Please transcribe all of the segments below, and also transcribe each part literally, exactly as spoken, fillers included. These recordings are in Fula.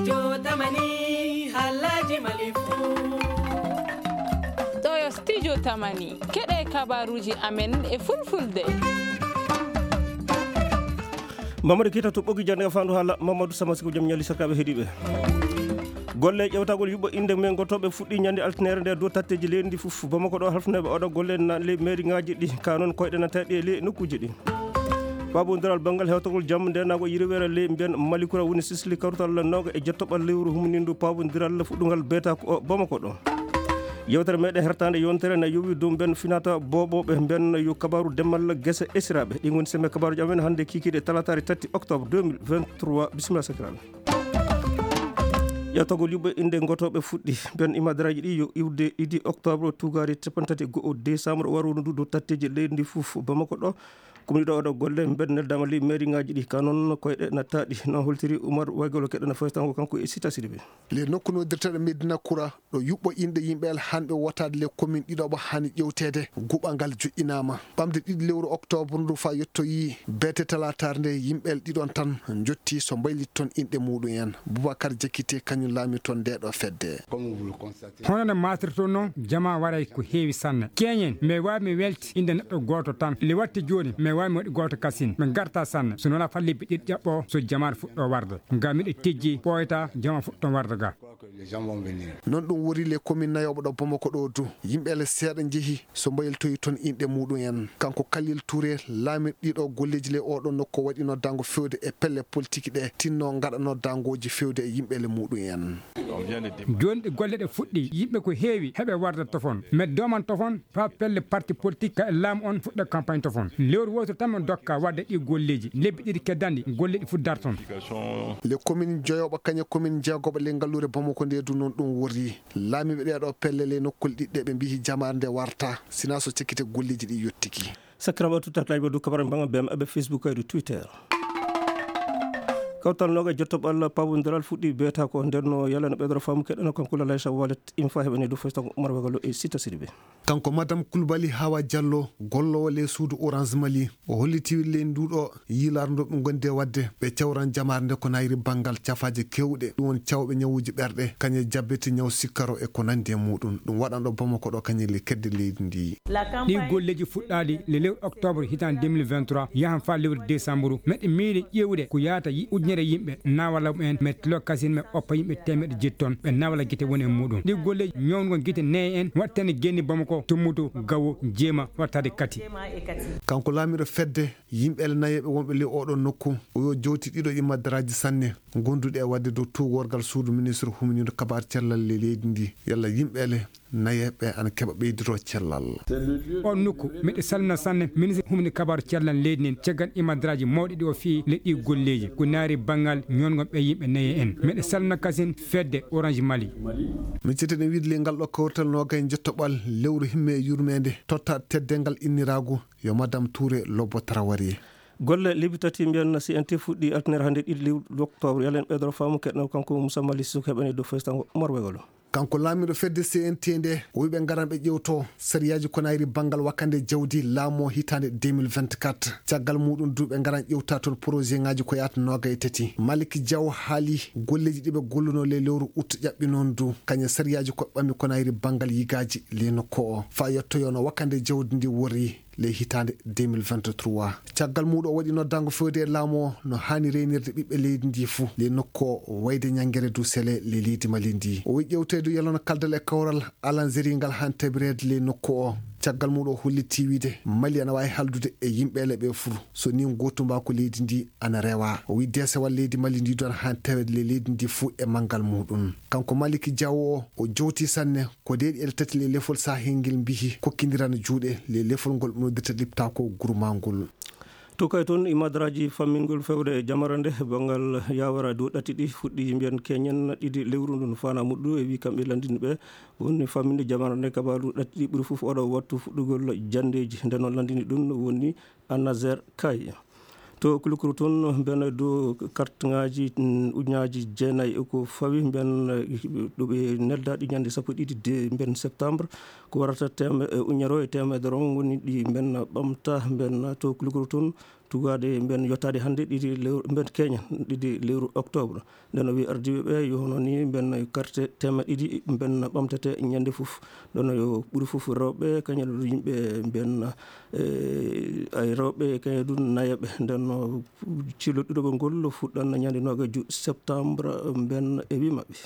Jotamani, halaji malifu. Ɗo yo studio Tamani. Keɗe kabaruji amen e fulfulde. Mamadou Keita to ɓogi jannde e fandu haala Mamadou Sama Siko jam ñali sakkaɓe heɗiɓe. Golle ƴewtagol yuɓɓo inde men gotoɓe fuɗɗi ñande altinere nde dow tatteji leydi ndi fof. Bamako ɗo halfneɓe oɗo golle na ley mairie ngaji ɗi, ka noon koyɗe na taɗi e ley nokkuji ɗi. Pabondiral banngal hewtagol jam ndenago yirwere ley mbiyan Malikura woni sisli kawtal noga e jettoɓal lewru humnindu pabondiral fuɗɗungal beeta ko o Bamako ɗo. Yewtere meɗen hertande yontere na yowi dow mben finata boboɓe mben yo kabaru demmal gese esiraɓe. Ɗi goni seme kabaruji amen hande kikiɗe talatare tati octobre deux mille vingt-trois. Bisimilla sakiraɓe. Ƴewtagol yuɓɓe inde gotoɓe fuɗɗi. Mbiyan imadaraji ɗi yo iwde ɗiɗi octobre tugari capanɗe tati e go'o décembre waruno ndu dow tatteji leydi ndi fof. Bamako ɗo, commune ɗo oɗo golle mbeɗa neldama ley mairie ngaji ɗi ka noon koyɗe na taɗi. Noon holtiri Oumar Waygolo keɗɗo na foytango kanko e Sita Sidibé. Le nokku nodirteɗo Medina Kura ɗo yuɓɓo inɗe yimɓe el hanɓe wotaade le commune ɗiɗo ɓo hani ƴewteede guɓa ngal joƴƴinama. Ɓamde ɗiɗi lewru octobre ndu fa yettoyi beete talatar nde yimɓe el ɗiɗon tan jotti so mbaylit toon inɗe muɗum en. Boubacar Diakité kañum laami toon nde ɗo fedde. Hono no matirton noon, jama waray ko heewi sanne. Keñen, mi wawi mi welti inde neɗɗo gooto tan. Nde watti jooni, mi wawi mi waɗi gooto kasin. Min garta sanne. So noon a falli ɓe ɗiɗi ƴaɓɓo, so jamaare fuɗɗo warde. Ngam miɗo tijji, ɓooyta, jama fuɗɗo warde ga. Noon ɗum wori le commune nayoɓo ɗo Bamako ɗo du. Yimɓe le seeɗa njehi so mbayiltoyi toon inɗe muɗum en. Kanko Khalil Touré, laamirɗo ɗiɗo golleji le oɗo nokku waɗi noddango fewde e pelle politique ɗe tinno gaɗa noddangoji fewde e yimɓe le muɗum en. Joni ɗe golle ɗe fuɗɗi, yimɓe ko heewi heɓe warde tofon. Mais doman tofon fa pelle parti politique ka e laamu on fuɗɗa campagne tofon. Lewru woturu tan min dokka wadde ɗi golleji. Lebbi ɗiɗi keddanɗi, golle ɗi fuɗ darton. Le commune joyoɓo kañe commune jeegoɓo le ngalluure Bamako nde du noon ɗum worri. Laamiɓe ɗeɗo pelle le nokkol ɗiɗɗe ɓe mbihi jamaare nde warta, sina so cekkite golleji ɗi yottiki. Sakiraɓe tuttaklaji ɓe du kabara mbanga B M aɓe Facebook e du Twitter. Kawtal noga jottoɓe Allah pawodiral fuɗɗi beeta ko nder no yalla no ɓeydoro faamu keɗɗano kanko Lalaysa Walet infa heɓani du foytango Umar Wagalo e Sita Sidibé. Kanko Madame Koulibaly Hawa Diallo, gollowo le suudu Orange Mali, o holliti le nduɗo yiilardu ɓe gondi e wadde ɓe cawran jamaare nde ko nayri banngal cafaaje kewɗe, ɗum won cawɓe ñawuuji ɓerɗe, kañe jabbiti ñaw sikkaro e ko nandi e muɗum. Ɗum waɗanɗo Bamako ɗo kañe le kedde leydi ndi. Ɗi golleji fuɗɗaali le lewru octobre hitande deux mille vingt-trois yahan fa lewru décembre. Meɗe miili ƴeewde ko yaata yi-, ujunere yimɓe nawala mumen, mettilo kasin me oppa yimɓe temeɗe jetton ɓe nawala gite woni e muɗum. Ɗi golleji ñawnugo gite neye en wattani genni Bamako tummutu gawo jeema wattade kati. Kanko laamiɗo fedde yimɓe ele nayeɓe wonɓe ley oɗo nokku, o yo jowti ɗiɗo ɗi madaraaji sanne, gonduɗe e wadde dow tuugorgal suudu ministre huminiiɗo kabaar cellal le leydi ndi. Yalla yimɓe ele nayeɓe ana keɓa ɓeydoro cellal. On nokku, miɗo salmina sanne ministre humni kabaar cellal leydi ndin, caggal ɗi madaraaji mawɗi ɗi o fii le ɗi golleji, ko naari banngal ñongo ɓe yimɓe naye en. Miɗo salmina kasin fedde Orange Mali. Min cetten e wiide le ngal ɗo kawrital nogay jottoɓal lewru himme e yurmede, totta teddengal inniraagu yo Madame Touré Lobbo Traoré. Golle lebbi tati mbiyan C N T fuɗɗi altinere hannde ɗiɗi lewru octobre. Yalla en ɓeydoro faamu keɗno kanko Moussa Mali Souk heɓani dow faysango Umar Wegolo. Kanko laamiɗo fedde C N T nde, o wiɓe ngaran ɓe ƴewto sariyaaji ko nayri banngal wakkande jawdi laamo hitande deux mille vingt-quatre. Caggal muɗum du ɓe ngaran ƴewta toon projet ngaji ko yaata nogay e tati. Malick Diaw haali golleji ɗi ɓe golluno le lewru août ƴaɓɓi noon du, kañum sariyaaji ko ɓami ko nayri banngal yigaaji le nokku o. Fa yettoyono wakkande jawdi ndi worri le hitande deux mille vingt-trois. Caggal muɗum o waɗi noddango fewde e laamu o no hani reynirde ɓiɓɓe leydi ndi fuu le nokku o wayde ñangere du sele le leydi Mali ndi. O wi ƴewteedu yalono kaldal e kawral alanzeri ngal han tabireede le nokku o. Caggal muɗum o holliti wiide Mali ana wawi haldude e yimɓe ele ɓe fuu so ni gotumba ko leydi ndi ana rewa. O wi desewal leydi Mali ndi du ana han taweede le leydi ndi fuu e manngal muɗum. Kanko Malick Diaw o, o jowti sanne ko deeɗi ele tati le lefol sahel ngel mbihi kokkindirana juuɗe le lefol ngol ɓe noddirta liptako gurmangol. To kay toon imadaraaji fammingol fewre jamarande banngal yawara dow ɗatti ɗi fuɗɗi mbiyan keñen ɗiɗi lewru ndun fana muɗɗu e wi kamɓe landinɓe woni famminde jamarande kabaru ɗatti ɗi ɓuri fof oɗo wattu fuɗɗugol jandeji. Nden noon landini ɗum woni Annazer Kay. To Kulukuru toon, mben dow kartŋaaji, mm, ujunnaaji jeenayi e ko fawi, mben, eh, ɗo ɓe neldaɗi ñande sappo e ɗiɗi de mben septembre. Ko warata teme-, eh, ujunnere e teemedere on woni ɗi mben ɓamta, mben to Kulukuru toon, tugaade mben yottaade hannde ɗiɗi lewru, mben keñen ɗiɗi lewru octobre. Nden o wi ardiiɓe ɓe yo hono ni mben karte teemeɗɗe ɗiɗi mben ɓamtete ñande fof. Nden yo ɓuri fof rewɓe, kañum e yimɓe mben, eh, ay rewɓe, kañum e ɗum nayaɓe. Nden no cillo ɗiɗaɓo ngol fuɗɗan ñande noogajo septembre mben e wi maɓɓe.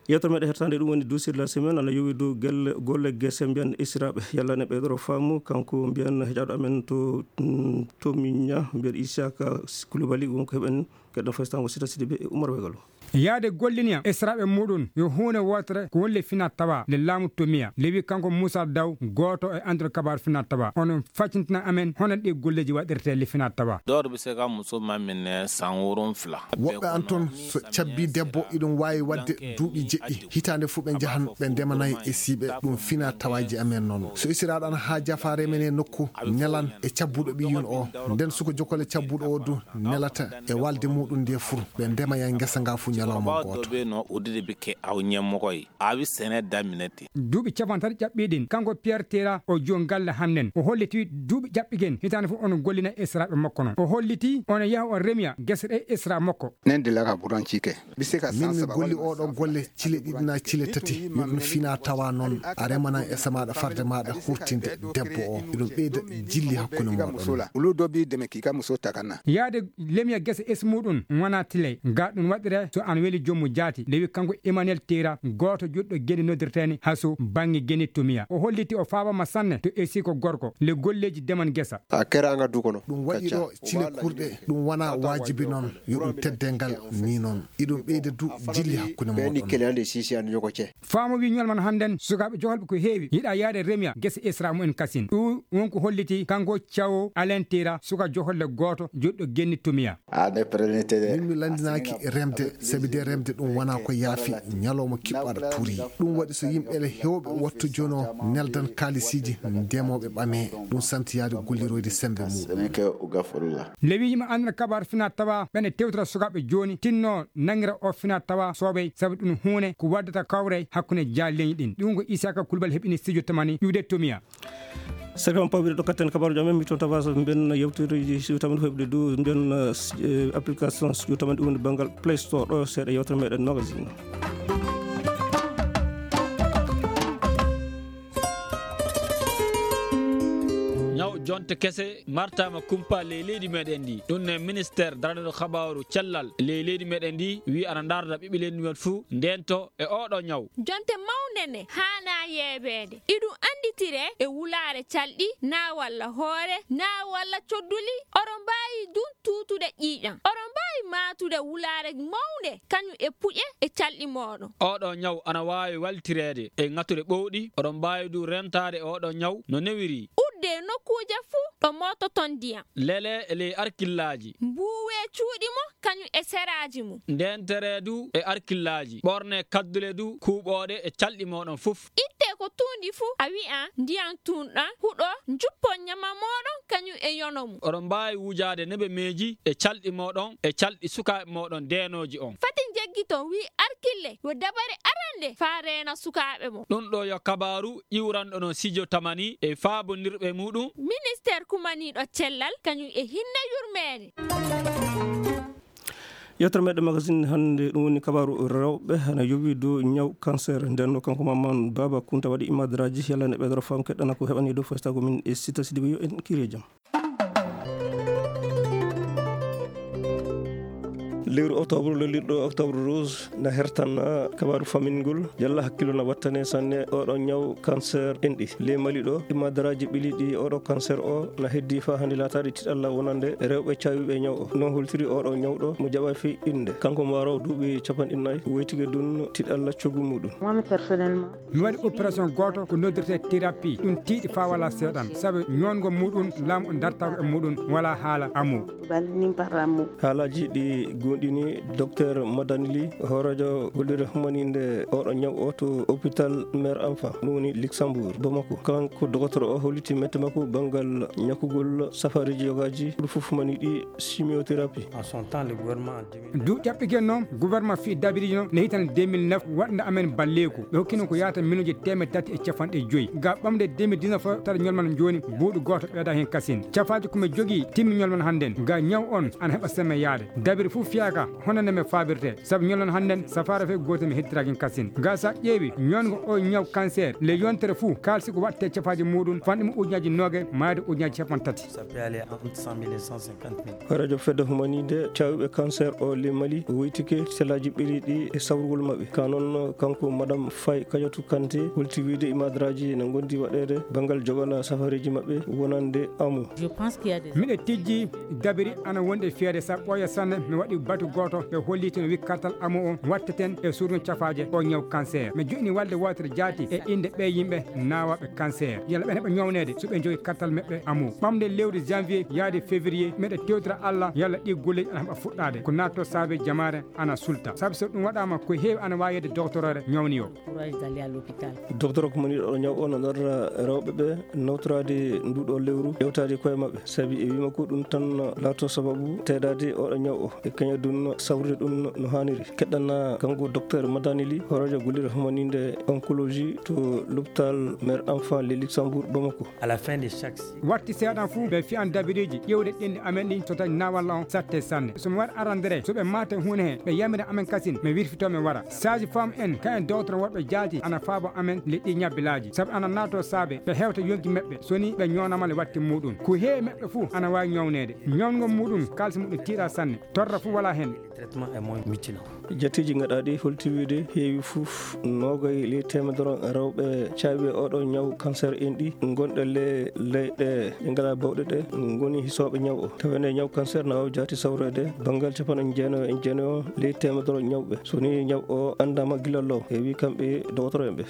Yewtere meɗen hettande ɗum woni Dossier de la semaine, ana yowi dow gelle, golle gese mbiyan esiraaɓe. Yalla ne ɓeydoro faamu, kanko mbiyan heƴaɗo amen to, mm, to Miña, mbiyan Isaka Koulibaly, wonko heɓen keɗɗo faystango Sita Sidibé e Oumar Wegalo. Yaade golliniya esiraaɓe muɗum yo huunde wootere ko woni le fina tawa le laamu Tomiya. Lewi kanko Moussa Daw, gooto e anduɗo kabaru fina tawa. Onon faccintina amen hono ɗi golleji waɗirte le fina tawa. Dɔw bɛ se ka muso maminɛ san wolonwula. Woɓɓe an toon, so cabbi debbo, iɗum waawi waɗde duuɓi jeɗɗi. Hitaande fof ɓe njahan, ɓe ndemanay e siiɓe. Ɗum fina tawaaji amen noon. So isiraaɗo ana haaja faa remene nokku, nelan e cabbuɗo ɓiyum o. Nden suka jokkol e cabbuɗo o du, nelata e walde muɗum nde fur. Ɓe ndemaya ngesa nga fuu ñalawma gooto. Dɔ bɛ yen nɔ, o de bɛ kɛ aw ɲɛmɔgɔ ye. A bɛ sɛnɛ daminɛ ten. Duuɓi capanɗe tati ƴaɓɓiɗin, kanko Pierre Tera o joom galle hannden. O holliti duuɓi ƴaɓɓigen hitaande fof onon gollina esiraaɓe makko noon. O holliti onon yaha on remiya gese ɗe esira makko. Nen de la ka buran cike. Min mi golli oɗo golle cile ɗiɗi na cile tati. Yo ɗum fina tawa noon a remana e samaaɗa farde maaɗa hurtinde debbo o. Eɗum ɓeyda jilli hakkunde mooɗon. Ulu dobi deme kika muso takana. Yaade lemiya gese es muɗum wona tile. Ga ɗum waɗire so an weli jommu jaati. Lewi kanko Emmanuel Tera, gooto juɗɗo geni noddirteeni haso bannge geni Tomiya. O holliti o faabama sanne to esi ko gorko. Le golleji deman gesa. A keraanga du kono. Ɗum waɗi ɗo cile kurɗe, ɗum wona waajibi noon, yo ɗum tedde ngal ni noon. Iɗum ɓeyda du jilli hakkunde mooɗon. Ɓe ni kelen de sisi an ñoko ce. Faamu wi ñol man hannden, sukaaɓe joholɓe ko heewi, yiɗa yaade remiya gese esra mumen kasin. Ɗum won ko holliti kanko Thiaw Alain Tera, suka joholle gooto, joɗɗo genni Tomiya. Min mi lanndinaaki remde, sabi de remde ɗum wona ko yaafi, ñalawma kiɓɓo aɗa tuuri. Ɗum waɗi so yimɓe le heewɓe wattu jono neldan kaalisiiji ndemooɓe ɓame, ɗum santi yaade golliroyde semmbe muɗum. Lewi yima annda kabar fina tawa ɓene tewtata sukaaɓe jooni tinno nangira o fina tawa soobey, sabu ɗum huune ko waddata kawre hakkunde jaalleñi ɗin. Ɗum ko Isaka Kulbal heɓini studio tamani ƴuwde Tomiya. Sakam pawɓe ɗo katten kabaruji amen, mi toon Tabas, mbiyen yewtereji siwtamen ko heɓde dow mbiyen, eh, application siwtamen ɗum woni banngal Play Store ɗo seeɗa yewtere meɗen magazine. Ñaw jonte kese martama kumpa ley leydi meɗen ndi. Ɗum ne ministère daraniɗo habaru cellal ley leydi meɗen ndi wi ana darda ɓiɓɓe leydi men fuu ndento e oɗo ñaw. Jonte mawnde ne haana yeebeede. Iɗum annditire e wulaare calɗi, naa walla hoore, naa walla codduli. Oɗon mbaawi dun tuutude ƴiiƴam. Oɗon mbaawi maatude wulaare mawnde, kañum e puƴe e calɗi mooɗon. Oɗo ñaw ana waawi waltireede e ŋatuɗe ɓowɗi. Oɗon mbaawi du rentaade oɗo ñaw no newiri. Udde nokkuuje fuu ɗo moototon ndiyam. Lele e ley arkillaaji. Mbuuwe cuuɗi mo kañum e seraaji mum. Ndeentere du e arkillaaji, ɓorne kaddule du kuuɓooɗe e calɗi mooɗon fof. Itte ko tuundi fuu, a wi'a ndiyam tuunɗam huɗo, njuppon ñama mooɗon kañum e yono mum. Oɗon mbaawi wujaade nebemeeji e calɗi mooɗon e calɗi sukaaɓe mooɗon deenooji on. Fati njeggiton, wi arkille, yo dabare arande faa reena sukaaɓe mo. Ɗum ɗo yo kabaaru iwranɗo no sijo tamani e faabondirɓe muɗum. Ministeer kumaniiɗo cellal kañum e hinne yurmeende. Yewtere meɗen magazine hannde, ɗum woni kabaaru rewɓe, hana yowi dow ñaw cancer. Nden no kanko Maman Baba Kunta waɗi imadraji, yalla ne ɓeydoro fam keɗɗana ko heɓani dow festaago min e Sita Sidibe, yo en kiire jam. Lewru octobre, lolirɗo octobre rose, na hertan kabaaru famingol. Yalla hakkillo na wattane sanne oɗo ñaw cancer enɗi. Ley Mali ɗo, imadaraaji ɓiliiɗi oɗo cancer o na heddi faa hannde laataade tiɗalla wonande rewɓe caawiiɓe ñaw o. No holtiri oɗo ñawɗo mo jaɓaa fii innde. Kanko mo warowo duuɓi capanɗe nayi, woytike dun tiɗalla coggu muɗum. Moi, personnellement, mi waɗi opération gooto ko noddirte thérapie. Ɗum tiiɗi faa wala seeɗan, sabu ñoongo muɗum laamu o dartaako e muɗum wala haala amu. Haalaaji ɗi gon- joɗɗini Docteur Madani Ly, hooreejo gollirde humaninde oɗo ñaw o to hôpital Mère Enfant, ɗum woni Luxembourg, Bamako. Kanko docteur o holliti mette makko banngal ñakkugol safareeji yogaaji, ɗum fof mani ɗi chimiothérapie. En son temps, le gouvernement en duuɓi ɗiɗi noon, gouvernement fii dabiriiji noon ne hitande deux mille neuf waɗnde amen balleeku. Ɓe hokkino ko yahata miliyonji teemedde tati e capanɗe joyi. Ga ɓamde deux mille dix-neuf o, tawa ñolman jooni buuɗu gooto ɓeyda heen kasin. Cafaaji ko mi jogii timmi ñolman hannden. Ga ñaw on ana heɓa semme yaade. Dabiri fof fiyaaka hono nde mi faabirte. Sabu ñolman hannden safaara fof gooto mi heddiraaki heen kasin. Ga sa ƴeewi ñoongo o ñaw cancer, le yontere fof kaalisi ko waɗte cafaaji muuɗum fanɗi mo ujunaaji noogayi maayde ujunaaji capanɗe tati. Ça peut aller entre cent mille et cent cinquante mille. Hooreejo fedde humaninde caawɓe cancer o le Mali woytike sellaaji ɓeliiɗi e sawrugol maɓɓe. Ka noon, kanko Madame Faye Kadiatou Kanté holti wiyde e madaraaji ne ngondi waɗeede banngal joɓana safareeji maɓɓe wonande amu. Je pense qu'il y a des Miɗo tijji dabiri ana wonde feere sa ɓooya sanne mi waɗi batu gooto ɓe holliti no wi kartal amu o watteten e surno cafaaje o ñaw cancer. Mi joɗɗini walde wootere jaati e innde ɓe yimɓe naawaaɓe cancer. Yalla ɓe heɓa ñawneede so ɓe njogi kartal maɓɓe amu. Ɓamde lewru janvier yaade février, meɗe tewtira Allah, yalla ɗi golleeji ana heɓa fuɗɗaade. Ko naatto saabe jamaare ana sulta. Sabu so ɗum waɗaama, ko heewi ana waawi yedde doktorore ñawni o. Courage d'aller à l'hôpital. Docteur ko moni ɗo ñaw o no darra rewɓe ɓe nawtoraade nduɗo lewru, ƴewtaade koye maɓɓe. Sabi e wima ko ɗum tan laato sababu teedaade oɗo ñaw o. E kaña ɗum sawrude ɗum no haaniri. Keɗɗana kanko docteur Madani Ly, hooreejo gollirde humaninde oncologie to l'hôpital Mère Enfant le Luxembourg Bamako. À la fin de chaque cycle. Watti seeɗan fuu, ɓe fiyan dabiriiji ƴewde ɗenɗi amen ɗin so tawi naawalla on satte sanne. So mi waɗi arandere, so ɓe maate huune he, ɓe yamira amen kasin, mi wirfito mi wara. Sage femme en, kayen dowtoro woɗɓe jaati, ana faabo amen le ɗi ñabbilaaji. Sabu ana naato saabe, ɓe hewta yonki meɓɓe, so ni ɓe ñoonama le watti muuɗum. Ko heewi meɓɓe fuu ana waawi ñawneede. Ñawngol muuɗum, kaalisi muuɗum tiiɗa sanne. Torra fuu walaa heen. Traitement est moins mutilant. Jatteeji gaɗaaɗi holti wiyde heewi fof noogay ley teemedere rewɓe caawi oɗo ñaw cancer en ɗi ngonɗe le leyɗe ɗe ngalaa bawɗe ɗe ngoni hisooɓe ñaw o. Tawa ene ñaw cancer na waawi jaati sawreede banngal capanɗe jeenayo e jeenayo ley teemedere ñawɓe. So ni ñaw o anndaama gila law, heewi kamɓe dowtoro en ɓe.